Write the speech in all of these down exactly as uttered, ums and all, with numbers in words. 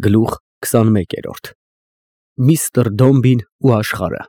Գլուխ քսանմեկերորդ Միստր Դոմբին ու աշխարհը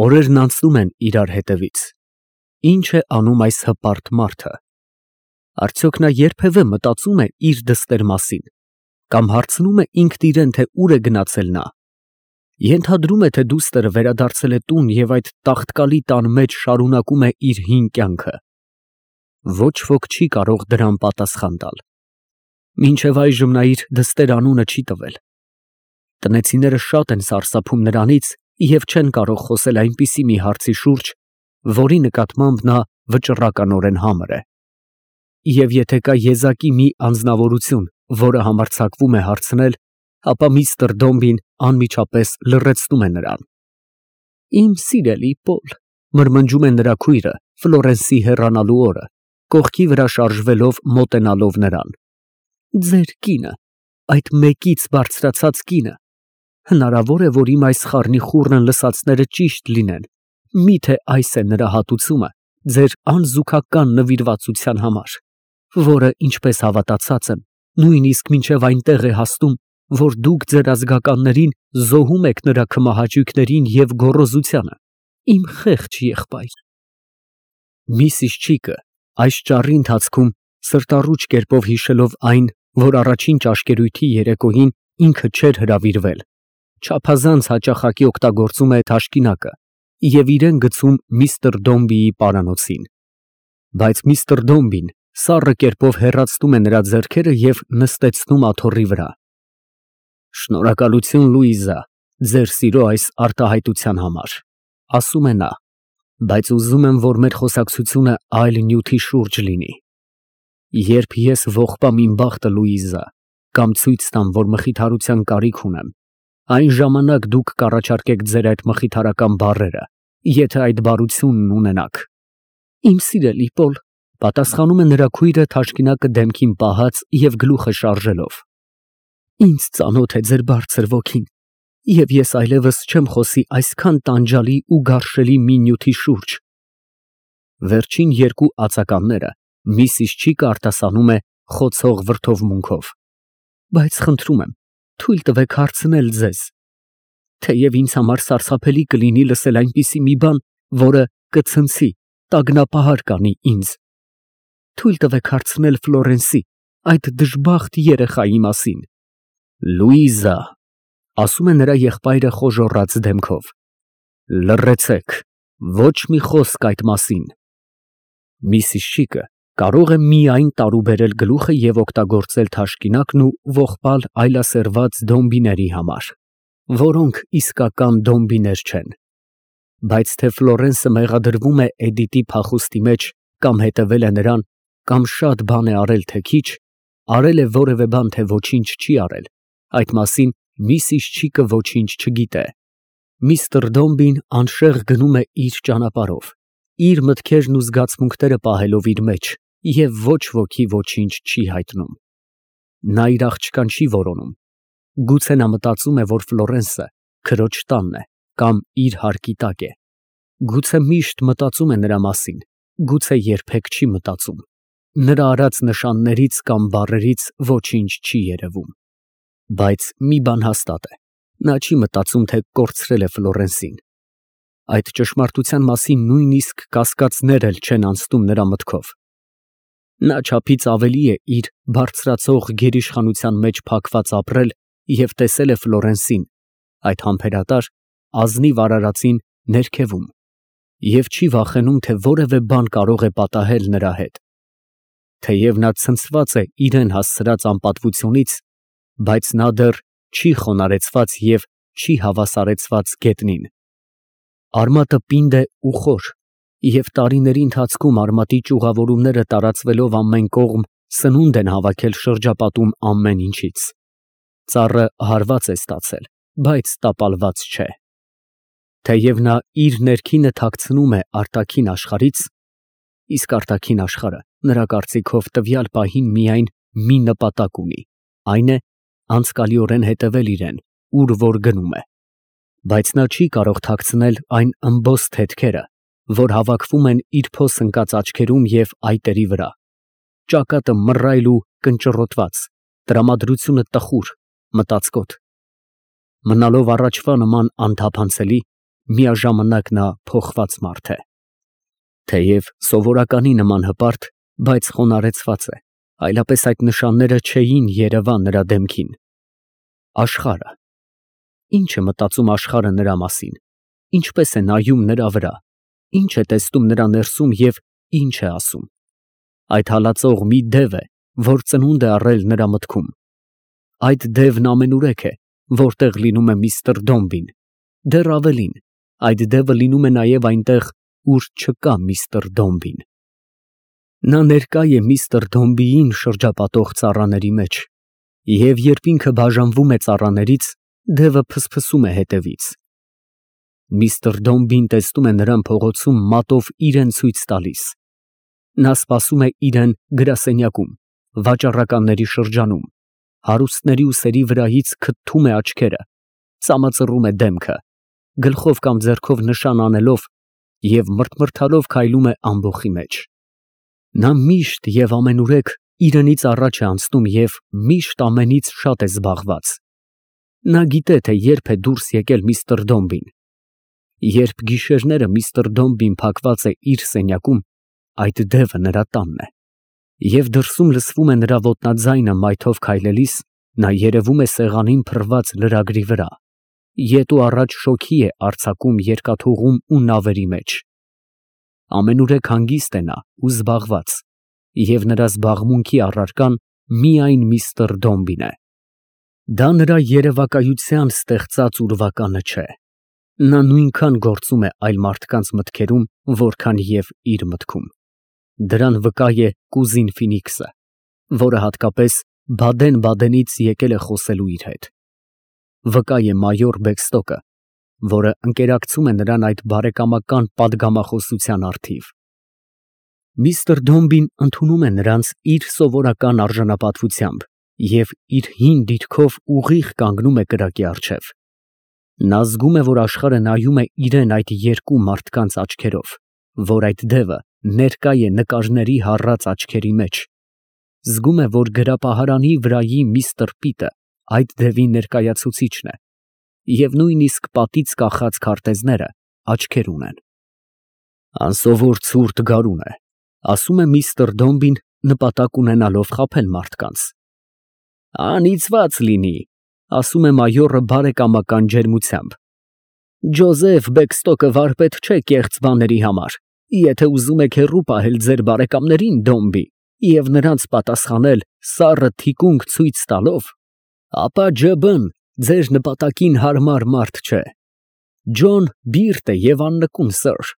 Օրերն անցնում են իրար հետևից, ի՞նչ է անում այս հպարտ մարդը, արդյոք նա երբևէ մտածում է իր դստեր մասին, կամ հարցնում է ինքն իրան, թե ուր է գնացել նա, ենթադրում է, թե դուստր վերադարձել է տուն և այդ տաղտկալի տան մեջ շարունակում է իր հին կյանքը, ոչ ոք չի կարող դրան պատասխան տալ, մինչև այժմ նա իր դստեր անունը չի տվել, տնեցիները շատ են սարսափում նրանից և չեն կարող խոսել այնպիսի մի հարցի շուրջ, որի նկատմամբ նա վճռականորեն համր է, և եթե կա եզակի մի անձնավորություն, որը համարձակվում է հարցնել, ապա միստր Դոմբին անմիջապես լռեցնում է նրան։ Իմ սիրելի Պոլ, մրմնջում է նրա քույրը Ֆլորենսի հեռանալու օրը, կողքի վրա շարժվելով մոտենալով նրան, ձեր կինը, այդ մեկից բարձրացած կինը, հնարավոր է, որ իմ այս խառնիխուռն լսածները ճիշտ լինեն, միթե այս է նրա հատուցումը ձեր անզուգական նվիրվածության համար, որը, ինչպես հավատացած եմ, նույնիսկ մինչև այնտեղ է հասնում, որ դուք ձեր ազգականներին զոհում եք նրա քմահաճույքներին և գոռոզությանը, իմ խեղճ եղբայր։ Միսիս Չիկը այս ճառի ընթացքում սրտառուչ կերպով հիշելով այն, որ առաջին ճաշկերույթի երեկոյին ինքը չէր հրավիրվել, չափազանց հաճախակի օգտագործում է թաշկինակը և իրան գցում միստր Դոմբիի պարանոցին, բայց միստր Դոմբին սառը կերպով հեռացնում է նրա ձեռքերը և նստեցնում աթոռի վրա։ Շնորհակալություն, Լուիզա, ձեր սիրո այս արտահայտության համար, ասում է նա, բայց ուզում եմ, որ մեր խոսակցությունը այլ նյութի շուրջ լինի։ Երբ ես ողբամ իմ բախտը, Լուիզա, կամ ցույց տամ, որ մխիթարության կարիք ունեմ, այն ժամանակ դուք կառաջարկեք ձեր այդ մխիթարական բառերը, եթե այդ բարությունն ունենաք։ Իմ սիրելի Պոլ, պատասխանում է նրա քույրը թաշկինակը դեմքին պահած և գլուխը շարժելով, ինձ ծանոթ է ձեր բարձր ոգին, և ես այլևս չեմ խոսի այսքան տանջալի ու գարշելի մի նյութի շուրջ։ Վերջին երկու ածականները միսիս Չիկը արտասանում է խոցող վրդովմունքով, բայց խնդրում եմ, թույլ տվեք հարցնել ձեզ, թեև ինձ համար սարսափելի կլինի լսել այնպիսի մի բան, որը կցնցի, տագնապահար կանի ինձ, թույլ տվեք հարցնել Ֆլորենսի, այդ դժբախտ երեխայի մասին։ Լուիզա, ասում է նրա եղբայրը խոժոռած դեմքով, լռեցեք, ոչ մի խոսք այդ մասին։ Միսիս Չիկը կարող է միայն տարուբերել գլուխը և օգտագործել թաշկինակն ու ողբալ այլասերված դոմբիների համար, որոնք իսկական դոմբիներ չեն, բայց թե Ֆլորենսը մեղադրվում է Էդիտի փախուստի մեջ կամ հետևել է նրան, կամ շատ բան է արել, թե քիչ, արել է որևէ բան, թե ոչինչ չի արել, այդ մասին միսիս Չիկը ոչինչ չգիտե։ Միստր Դոմբին անշեղ գնում է իր ճանապարհով, իր մտքերն ու զգացմունքները պահելով իր մեջ և ոչ ոքի ոչինչ չի հայտնում։ Նա իր աղջկան չի որոնում, գուցե նա մտածում է, որ Ֆլորենսը քրոջ տանն է կամ իր հարկի տակ է, գուցե միշտ մտածում է նրա մասին, գուցե երբեք չի մտածում, նրա արած նշաններից կամ բառերից ոչինչ չի երևում, բայց մի բան հաստատ է, նա չի մտածում, թե կորցրել է Ֆլորենսին։ Այդ ճշմարտության մասին նույնիսկ կասկածներ էլ չեն անցնում նրա մտքով։ Նա չափից ավելի է իր բարձրացող գերիշխանության մեջ փակված ապրել և տեսել է Ֆլորենսին, այդ համբերատար, ազնիվ արարածին ներքևում և չի վախենում, թե որևէ բան կարող է պատահել նրա հետ։ Թեև նա ցնցված է իրան հասցրած անպատվությունից, բայց նա դեռ չի խոնարհեցված և չի հավասարեցված գետնին։ Արմատը պինդ է ու խոր, և տարիների ընթացքում արմատի ճյուղավորումները տարածվելով ամեն կողմ սնունդ են հավաքել շրջապատում ամեն ինչից։ Ծառը հարված է ստացել, բայց տապալված չէ։ Թեև նա իր ներքինը թաքցնում է արտաքին աշխարհից, իսկ արտաքին աշխարհը նրա կարծիքով տվյալ պահին միայն մի նպատակ ունի, այն է անցկալիորեն հետևել իրան, ուր որ գնում է, բայց նա չի կարող թաքցնել այն ըմբոստ հետքերը, որ հավաքվում են իր փոս ընկած աչքերում և այտերի վրա, ճակատը մռայլ ու կնճռոտված, տրամադրությունը տխուր, մտածկոտ։ Մնալով առաջվա նման անթափանցելի, միաժամանակ նա փոխված մարդ է։ Թեև սովորականի նման հպարտ, բայց խոնարհեցված է, այլապես այդ նշանները չէին երևա նրա դեմքին։ Աշխարհը։ Ինչ է մտածում աշխարհը նրա մասին, ինչպես է նայում նրա վրա, ինչ է տեսնում նրա ներսում և ինչ է ասում։ Այդ հալածող մի դև է, որ ծնունդ է առել նրա մտքում։ Այդ դևն ամենուրեք է, որտեղ լինում է միստր Դոմբին, դեռ ավելին, այդ դևը լինում է նաև այնտեղ, ուր չկա միստր Դոմբին։ Նա ներկա է միստր Դոմբիին շրջապատող ծառաների մեջ, և երբ ինքը բաժանվում է ծառաներից, դևը փսփսում է հետևից։ Միստր Դոմբին տեսնում է նրան փողոցում մատով իրան ցույց տալիս։ Նա սպասում է իրան գրասենյակում, վաճառականների շրջանում, հարուստների ուսերի վրայից քթում է աչքերը, ծամածռում է դեմքը, գլխով կամ ձեռքով նշան անելով և մռթմռթալով քայլում է ամբոխի մեջ։ Նա միշտ և ամենուրեք իրենից առաջ է անցնում և միշտ ամենից շատ է զբաղված։ Նա գիտե, թե երբ է դուրս եկել միստր Դոմբին։ Երբ գիշերները միստր Դոմբին փակված է իր սենյակում, այդ դևը նրա տանն է, և դրսում լսվում է նրա ոտնաձայնը մայթով քայլելիս, նա երևում է սեղանին փռված լրագրի վրա, ետ ու առաջ շոգի է արձակում երկաթուղում ու նավերի մեջ։ Ամենուրեք հանգիստ է նա ու զբաղված, և նրա զբաղմունքի առարկան միայն միստր Դոմբին է։ Դա նրա երևակայության ստեղծած ուրվականը չէ։ Նա նույնքան գործում է այլ մարդկանց մտքերում, որքան և իր մտքում։ Դրան վկա է կուզին Ֆինիքսը, որը հատկապես Բադեն֊Բադենից եկել է խոսելու իր հետ։ Վկա է մայոր Բեքստոկը, որը ընկերակցում է նրան այդ բարեկամական պատգամախոսության առթիվ։ Միստր Դոմբին ընդունում է նրանց իր սովորական արժանապատվությամբ և իր հին դիրքով ուղիղ կանգնում է կրակի առջև։ Նա զգում է, որ աշխարհը նայում է իրան այդ երկու մարդկանց աչքերով, որ այդ դևը ներկա է նկարների հառած աչքերի մեջ։ Զգում է, որ գրապահարանի վրայի միստր Պիտը այդ դևի ներկայացուցիչն է, և նույնիսկ պատից կախած քարտեզները աչքեր ունեն։ Անսովոր ցուրտ գարուն է, ասում է միստր Դոմբին, նպատակ ունենալով խաբել մարդկանց։ Անիծված լինի, ասում է մայորը բարեկամական ջերմությամբ։ Ջոզեֆ Բեքստոկը վարպետ չէ կեղծ բաների համար, եթե ուզում եք հեռու պահել ձեր բարեկամներին Դոմբի և նրանց պատասխանել սառը թիկունք ցույց տալով, ապա ջը բն ձեր նպատակին հարմար մարդ չէ։ Ջոն բիրտ է և աննկուն սըր,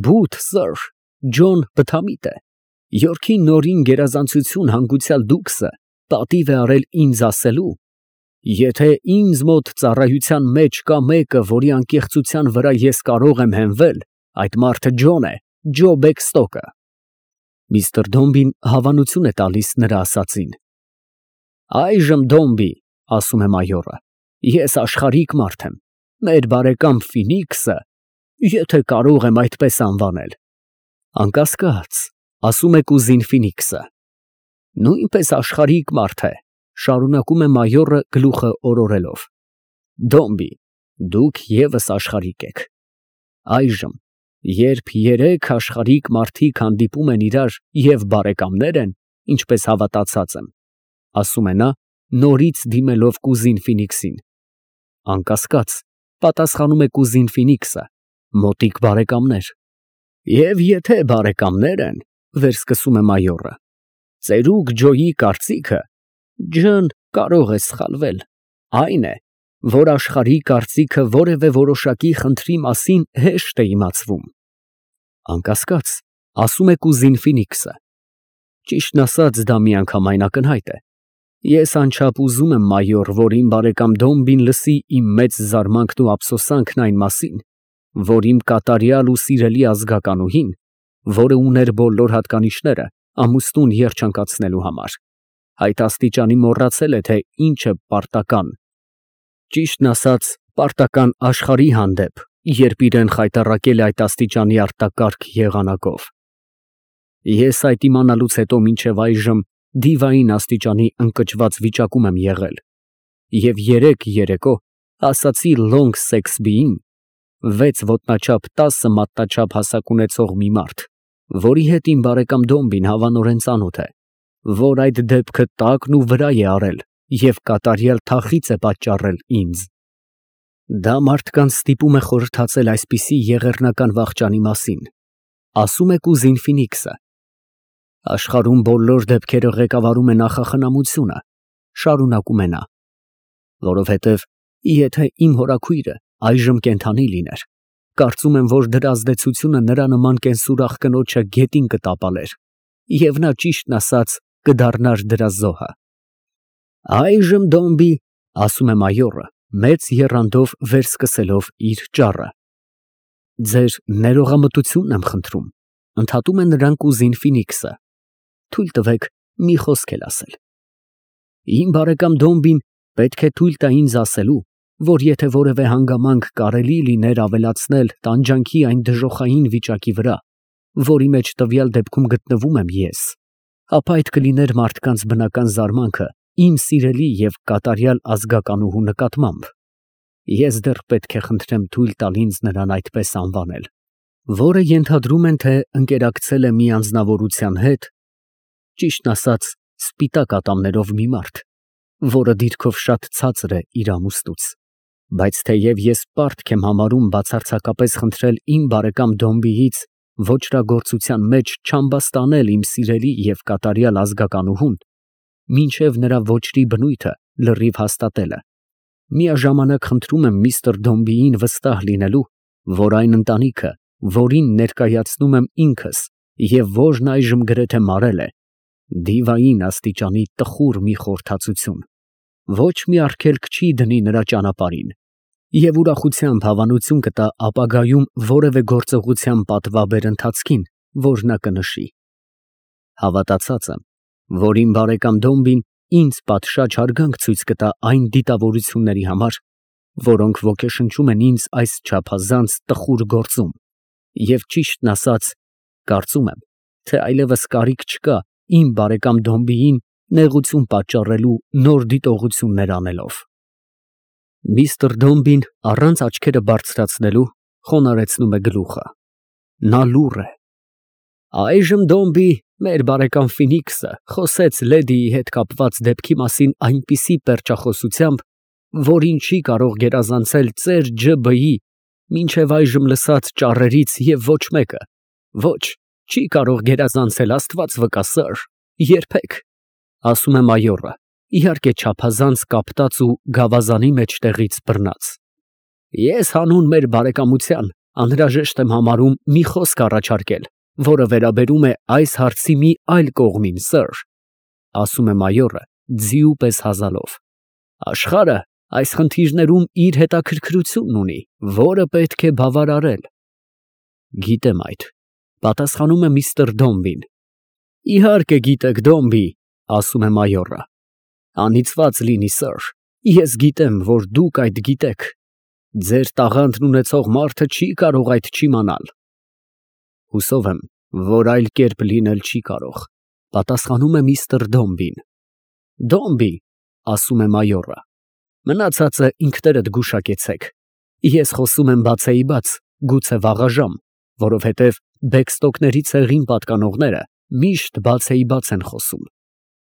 բութ սըր, Ջոն բթամիտ է, Յորքի նորին գերազանցություն հանգուցյալ դուքսը պատիվ է արել ինձ ասելու, եթե ինձ մոտ ծառայության մեջ կա մեկը, որի անկեղծության վրա ես կարող եմ հենվել, այդ մարդը Ջոն է, Ջո Բեքստոկը։ Միստր Դոմբին հավանություն է տալիս նրա ասածին։ Այժմ Դոմբի, ասում է մայորը, ես աշխարհիկ մարդ եմ, մեր բարեկամ Ֆինիքսը, եթե կարող եմ այդպես անվանել։ Անկասկած, ասում է կուզին Ֆինիքսը։ Նույնպես աշխարհիկ մարդ է, շարունակում է մայորը գլուխը օրորելով։ Դոմբի, դուք ևս աշխարհիկ եք։ Այժմ, երբ երեք աշխարհիկ մարդիկ հանդիպում են իրար և բարեկամներ են, ինչպես հավատացած եմ, ասում է նա, նորից դիմելով կուզին Ֆինիքսին։ Անկասկած, պատասխանում է կուզին Ֆինիքսը, մոտիկ բարեկամներ։ Եվ եթե բարեկամներ են, վերսկսում է մայորը, ծերուկ Ջոյի կարծիքը, Ջն կարող է սխալվել, այն է, որ աշխարհի կարծիքը որևէ որոշակի խնդրի մասին հեշտ է իմացվում։ Անկասկած, ասում է կուզին Ֆինիքսը։ Ճիշտն ասած, դա միանգամայն ակնհայտ է։ Ես անչափ ուզում եմ, մայոր, որ իմ բարեկամ Դոմբին լսի իմ մեծ զարմանքն ու ափսոսանքն այն մասին, որ իմ կատարյալ ու սիրելի ազգականուհին, որը ուներ բոլոր հատկանիշները ամուսնուն երջանկացնելու համար, այդ աստիճանի մոռացել է, թե ինչ է պարտական, ճիշտն ասած, պարտական աշխարհի հանդեպ, երբ իրան խայտառակել է այդ աստիճանի արտակարգ եղանակով։ Ես այդ իմանալուց հետո մինչև այժմ դիվային աստիճանի ընկճված վիճակում եմ եղել, և երեկ երեկո ասացի Լոնգ Սեքսբիին, վեց ոտնաչափ տասը մատնաչափ հասակ ունեցող մի մարդ, որի հետ իմ բարեկամ Դոմբին հավանորեն ծանոթ է, որ այդ դեպքը տակն ու վրա է արել և կատարյալ թախիծ է պատճառել ինձ։ Դա մարդկանց ստիպում է խորհրդացել այսպիսի եղեռնական վախճանի մասին, ասում է կուզին Ֆինիքսը։ Աշխարհում բոլոր դեպքերը ղեկավարում է նախախնամությունը, շարունակում է նա, որովհետև եթե իմ հորաքույրը այժմ կենդանի լիներ, կարծում եմ, որ դրա ազդեցությունը նրա նման կենսուրախ կնոջը գետին կտապալեր, և նա, ճիշտն ասած, կդառնար դրա զոհը։ Այժմ Դոմբի, ասում է մայորը, մեծ եռանդով վերսկսելով իր ճառը, ձեր ներողամտությունն եմ խնդրում, ընդհատում է նրան կուզին Ֆինիքսը, թույլ տվեք մի խոսք էլ ասել։ Իմ բարեկամ Դոմբին պետք է թույլ տա ինձ ասելու, որ եթե որևէ հանգամանք կարելի լիներ ավելացնել տանջանքի այն դժոխային վիճակի վրա, որի մեջ տվյալ դեպքում գտնվում եմ ես, ապա այդ կլիներ մարդկանց բնական զարմանքը իմ սիրելի և կատարյալ ազգականուհու նկատմամբ։ Ես դեռ պետք է խնդրեմ թույլ տալ ինձ նրան այդպես անվանել, որը ենթադրում են, թե ընկերակցել է մի անձնավորության հետ, ճիշտն ասած, սպիտակ ատամներով մի մարդ, որը դիրքով շատ ցածր է իր ամուսնուց, բայց թեև ես պարտք եմ համարում բացարձակապես խնդրել իմ բարեկամ Դոմբիից ոճրագործության մեջ չամբաստանել իմ սիրելի և կատարյալ ազգականուհուն, մինչև նրա ոճրի բնույթը լրիվ հաստատելը, միաժամանակ խնդրում եմ միստր Դոմբիին վստահ լինելու, որ այն ընտանիքը, որին ներկայացնում եմ ինքս և որն այժմ գրեթե մարել է, դիվային աստիճանի տխուր մի խորհրդածություն, ոչ մի արգելք չի դնի նրա ճանապարհին և ուրախությամբ հավանություն կտա ապագայում որևէ գործողության պատվաբեր ընթացքին, որ նա կնշի։ Հավատացած եմ, որ իմ բարեկամ Դոմբին ինձ պատշաճ հարգանք ցույց կտա այն դիտավորությունների համար, որոնք ոգեշնչում են ինձ այս չափազանց տխուր գործում, և ճիշտն ասած, կարծում եմ, թե այլևս կարիք չկա իմ բարեկամ Դոմբիին նեղություն պատճառելու նոր դիտողություններ անելով։ Միստր Դոմբին առանց աչքերը բարձրացնելու խոնարհեցնում է գլուխը։ Նա լուռ է։ Այժմ Դոմբի, մեր բարեկամ Ֆինիքսը խոսեց լեդիի հետ կապված դեպքի մասին այնպիսի պերճախոսությամբ, որին չի կարող գերազանցել ծեր Ջ.Բ.-ի մինչև այժմ լսած ճառերից և ոչ մեկը, ոչ, չի կարող գերազանցել, Աստված վկա, սըր, երբեք, ասում է մայորը, իհարկե չափազանց կապտած ու գավազանի մեջտեղից բռնած։ Ես հանուն մեր բարեկամության անհրաժեշտ եմ համարում մի խոսք առաջարկել, որը վերաբերում է այս հարցի մի այլ կողմին, սըր, ասում է մայորը ձիու պես հազալով։ Աշխարհը այս խնդիրներում իր հետաքրքրությունն ունի, որը պետք է բավարարել։ Գիտեմ այդ, պատասխանում է միստր Դոմբին։ Իհարկե գիտեք, Դոմբի, ասում է մայորը։ Անիծված լինի, սըր, ես գիտեմ, որ դուք այդ գիտեք։ Ձեր տաղանդն ունեցող մարդը չի կարող այդ չիմանալ։ Հուսով եմ, որ այլ կերպ լինել չի կարող, պատասխանում է միստր Դոմբին։ Դոմբի, ասում է մայորը, մնացածը ինքներդ գուշակեցեք։ Ես խոսում եմ բացեիբաց, գուցե վաղաժամ, որովհետև Բեքստոկների ցեղին պատկանողները միշտ բացեիբաց են խոսում։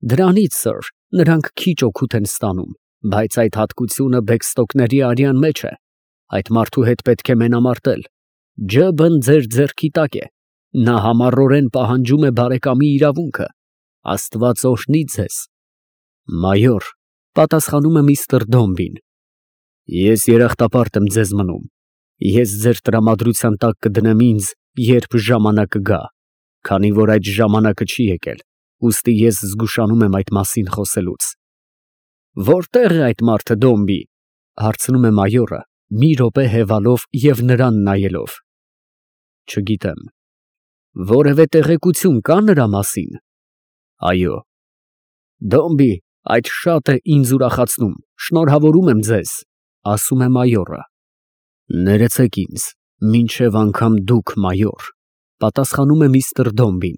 Դրանից, սըր, նրանք քիչ օգուտ են ստանում, բայց այդ հատկությունը Բեքստոկների արյան մեջ է, այդ մարդու հետ պետք է մենամարտել։ Ջ.Բ.-ն ձեր ձեռքի տակ է, նա համառորեն պահանջում է բարեկամի իրավունքը, Աստված օրհնի ձեզ։ Մայոր, պատասխանում է միստր Դոմբին, ես երախտապարտ եմ ձեզ մնում, ես ձեր տրամադրության տակ կդնեմ ինձ, երբ ժամանակը գա, քանի որ այդ ժամանակը չի եկել, ուստի ես զգուշանում եմ այդ մասին խոսելուց։ Որտե՞ղ է այդ մարդը, Դոմբի, հարցնում է մայորը, մի րոպե հևալով և նրան նայելով։ Չգիտեմ։ Որևէ տեղեկություն կա նրա մասին։ Այո։ Դոմբի, այդ շատ է ինձ ուրախացնում, շնորհավորում եմ ձեզ, ասում է մայորը։ Ներեցեք ինձ, մինչև անգամ դուք, մայոր, պատասխանում է միստր Դոմբին։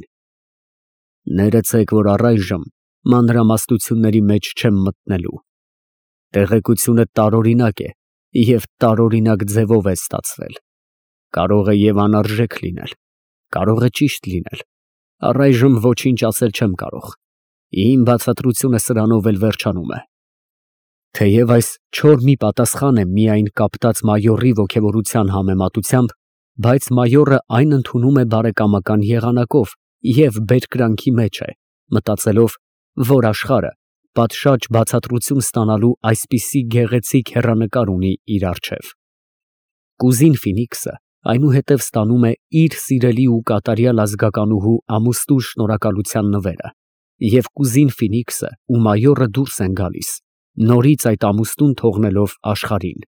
Ներեցեք, որ առայժմ մանրամասնությունների մեջ չեմ մտնելու։ Տեղեկությունը տարօրինակ է և տարօրինակ ձևով է ստացվել, կարող է և անարժեք լինել, կարող է ճիշտ լինել, առայժմ ոչինչ ասել չեմ կարող, իմ բացատրությունը սրանով էլ վերջանում է։ Թեև այս չոր մի պատասխան է միայն կապտած մայորի ոգևորության համեմատությամբ, բայց մայորը այն ընդունում է բարեկամական եղանակով և բերկրանքի մեջ է, մտածելով, որ աշխարհը պատշաճ բացատրություն ստանալու այսպիսի գեղեցիկ հեռանկար ունի իր առջև։ Կուզին Ֆինիքսը այնուհետև ստանում է իր սիրելի ու կատարյալ ազգականուհու ամուսնու շնորհակալության նվերը, և կուզին Ֆինիքսը ու մայորը դուրս են գալիս, նորից այդ ամուսնուն թողնելով աշխարհին։